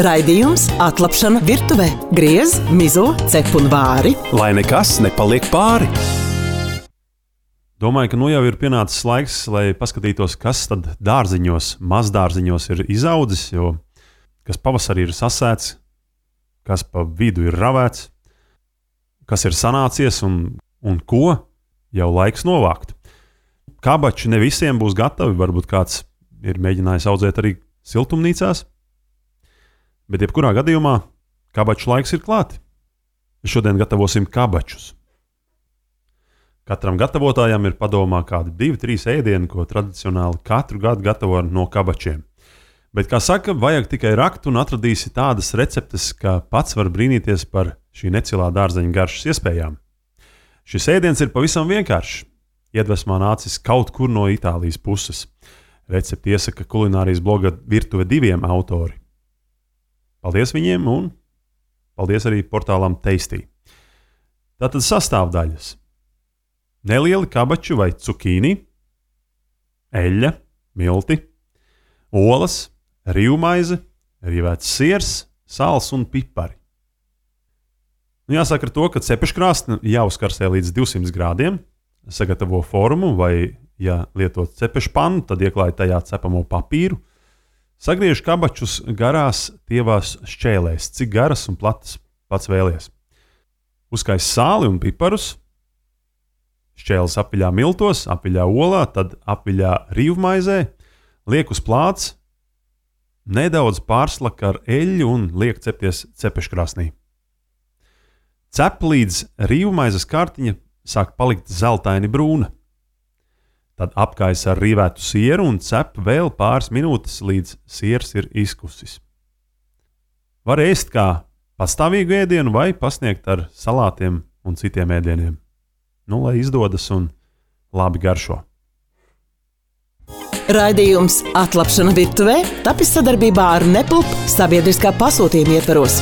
Raidījums Atlapšana virtuvē. Griez, mizo, cep un vāri. Lai nekas nepaliek pāri. Domāju, ka nu jau ir pienācis laiks, lai paskatītos, kas tad dārziņos, mazdārziņos ir izaudzis, jo kas pavasarī ir sasēts, kas pa vidu ir ravēts, kas ir sanācies un ko jau laiks novākt. Kabači ne visiem būs gatavi, varbūt kāds ir mēģinājis audzēt arī siltumnīcās, bet jebkurā gadījumā kabaču laiks ir klāti. Šodien gatavosim kabačus. Katram gatavotājam ir padomā kādi 2-3 ēdieni, ko tradicionāli katru gadu gatavo no kabačiem. Bet, kā saka, vajag tikai rakt un atradīsi tādas receptes, ka pats var brīnīties par šī necilā dārzeņa garšas iespējām. Šis ēdiens ir pavisam vienkāršs. Iedvesmā nācis kaut kur no Itālijas puses. Recepti iesaka kulinārijas bloga Virtuve 2 autori. Paldies viņiem un paldies arī portālam Tasty. Tātad sastāvdaļas. Nelieli kabači vai cukīni, eļļa, milti, olas, rīvmaize, rīvēts siers, sāls un pipari. Jāsaka ar to, ka cepeškrāsni jāuzkarsē līdz 200 grādiem, sagatavo formu vai, ja lietot cepešpannu, tad ieklāj tajā cepamo papīru. Sagriež kabačus garās tievās šķēlēs, cik garas un platas pats vēlies. Uzkais sāli un piparus, šķēles apiļā miltos, apiļā olā, tad apiļā rīvmaizē, liek uz plāts, nedaudz pārslaka ar eļļu un liek cepties cepeškrāsnī. Cep līdz rīvmaizes kārtiņa sāk palikt zeltaini brūna. Tad apkaisa ar rīvētu sieru un cep vēl pāris minūtes, līdz siers ir izkusis. Var ēst kā pastāvīgu ēdienu vai pasniegt ar salātiem un citiem ēdieniem. Lai izdodas un labi garšo. Raidījums Atlapšana virtuvē tapis sadarbībā ar Nepulp sabiedriskā pasūtījuma ietvaros.